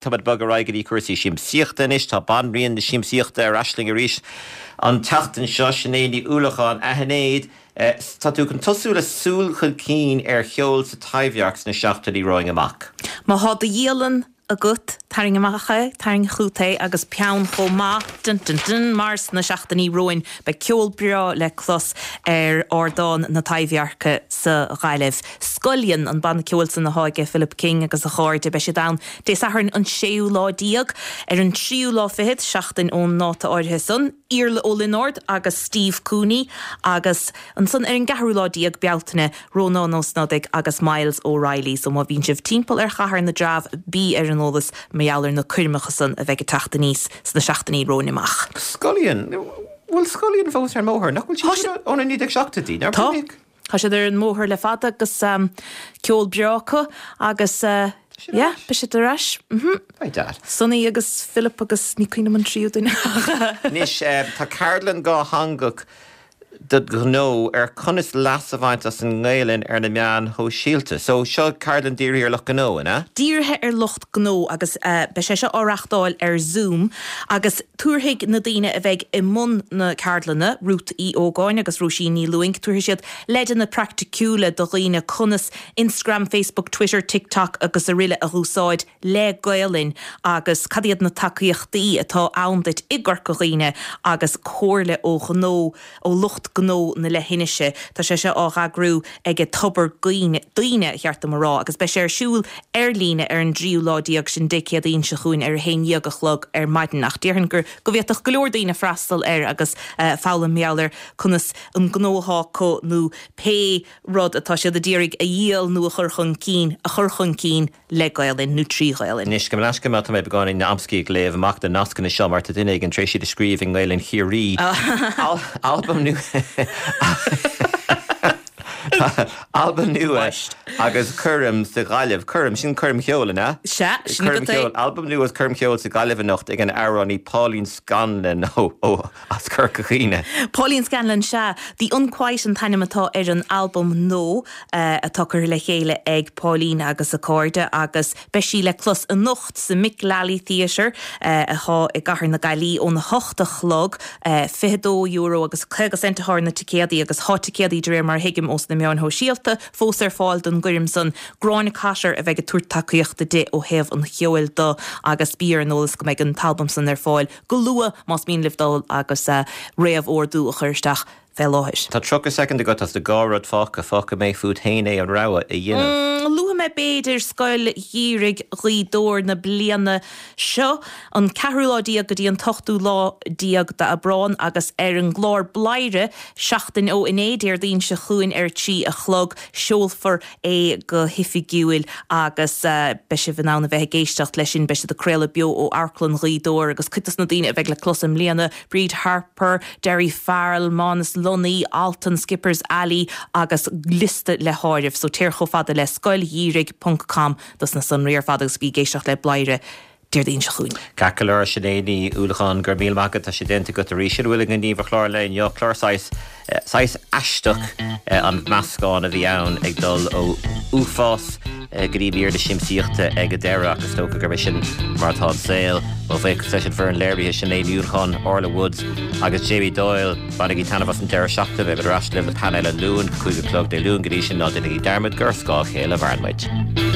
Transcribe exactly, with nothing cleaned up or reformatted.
Tá bog ar aghaidh go dtí cúrsaí siamsaíochta anois tá banríon na siamsaíochta ar ais linn arís an tseachtain seo Sinéad Ní Uallacháin a Shinéad Tá tú chun tosú le súil chun cinn ar cheol sa Taibhdhearc sna seachtainí romhainn amach. Má thá do dhialann agat tarraing amach é tarraing chugat é agus peann chomh maith dun, dun, dun, mar sna seachtainí romhainn beidh ceol breá le clos ar ardán na Taibhdheirce sa Ghaillimh. Scullion an banna ceoil san atá ag Philip King agus a chairde beidh siad ann Dé Sathairn an séú lá déag ar an tríú lá fichead seachtain ón ndáta áirithe san, Iarla Ó Lionáird agus Steve Cooney agus ansan ar an gceathrú lá déag Bealtaine Rónán Ó Snodaigh agus Myles O'Reilly, so má bhíonn sibh timpeall ar chathair na dTreabh bí ar an eolas mar gheall ar na coirmeacha san a bheidh ag teacht aníos sna seachtainí romhainn amach. Scullion bhfuil Scullion fós ar an mbóthar nach bhfuil siad ó na naoi déag seachtóidí Tá Tá siad ar an mbóthar le fada agus um, ceol breá acu agus uh, yeah, beidh siad ar ais. Mm -hmm. Sonny agus Philip agus ní cuimhin liom an tríú duine. Anois tá ceardlann dhátheangach do ghnó ar conas leas a bhaint as an nGaelainn ar na meáin shóisialta. So seo ceardlann dírithe ar lucht gnó ina? Dírithe ar lucht gnó agus uh, beidh sé seo á reáchtáil ar Zoom agus tabharfaidh na daoine a bheidh i mbun na ceardlainne Ruth Uí Ógáin agus Róisín Ní Lúing, tabharfaidh siad leideanna praiticiúla do dhaoine conas Instagram, Facebook, Twitter, TikTok agus araile a úsáid le Gaelainn agus cad iad na tacaíochtaí atá ann duit i gCorca Dhuibhne agus comhairle ó ghnó ó lucht gnó na leithinise. Tá sé seo á eagrú ag Tobar Daoine cheart dom a rá, agus beidh sé ar siúl ar líne ar an dtríú lá déag sin Dé Céadaoin seo chugainn ar a haon déag a chlog ar maidin ach déarfainn gur go bhféadfadh go leor daoine freastal air agus uh, foghlaim mar gheall ar conas an gnó atá acu nó pé rud atá siad ag iarraidh a dhíol nó a chur chun cinn a chur chun cinn le Gaelainn nó trí Ghaelainn. Anois go leis go tá mé beagáinín amscaí ag léamh amach na nascanna seo mar tá duine éigin tar éis iad a scríobh i nGaelainn Chiarraí. Albam nua Albam nua agus coirm sa Ghaillimh coirm sin coirm cheoil ina? Se Coirm cheoil albam nua agus coirm cheoil sa Ghaillimh anocht ag an amhránaí Pauline Scanlon ó ó as Corca Dhuibhne. Pauline Scanlon sea The Unquiet an t-ainm atá ar an albam nua uh, atá curtha le chéile ag Pauline agus a cairde agus beidh sí le clos anocht sa Mick Lally Theatre uh, atá i gCathair na Gaillimhe óna hocht a chlog uh, fiche dó euro agus caoga cent atá ar na ticéadaí agus tá ticéadaí de réir mar thuigim ós na meáin shóisialta fós ar fáil don gcoirm san Gráinne Cotter a bheidh ag tabhairt tacaíochta di ó thaobh an cheoil de agus bí ar an eolas go mbeidh an t-albam san ar fáil go luath más mian libh dul agus uh, réamhordú a chur isteach fé láthair. Tá tríocha soicind agat as do dhá rud fágtha fágfaidh mé fút féin é an rogha a dhéanamh. Mm, Luafaidh mé b'fhéidir Scoil Gheimhridh Ghaoth Dobhair na bliana seo an ceathrú lá déag go dtí an t-ochtú lá déag d'Aibreán agus ar an gclár Bladhaire seachtain ó inné Déardaoin seo chugainn ar trí a chlog seolfar é go hoifigiúil agus uh, beidh sibh in ann a bheith ag éisteacht leis sin beidh siad ag craoladh beo ó Amharclann Ghaoth Dobhair agus cuid de na daoine a bheidh le clos i mbliana Bríd Harper, Derry Farrell, Mánas Lunny, Alton Skippers Alley agus liosta le háireamh, so téir chomh fada le scoilgheimhridh.com dos na sonraí ar fad agus bí ag éisteacht le Bladhaire Déardaoin seo chugainn. Ceart go leor Sinéad Ní Uallacháin go raibh míle maith agat tá sé déanta agat arís sin bhfuil an gníomh chlár le inniu clár saghas saghas aisteach an meascán a bhí ann ag dul ó uafás go dtí mír na siamsaíochta ag an deireadh agus dócha gurb é sin mar atá an saol ó bhuíochas leis an bhfoireann léirithe Sinéad Ní Uallacháin, Orla Woods agus Jamie Doyle bainigí taitneamh as an deireadh seachtaine beidh ar ais libh le painéal Luan cúig a chlog Dé Luain go dtí sin ná déanaigí dearmad gur scáth a chéile a mhaireann muid.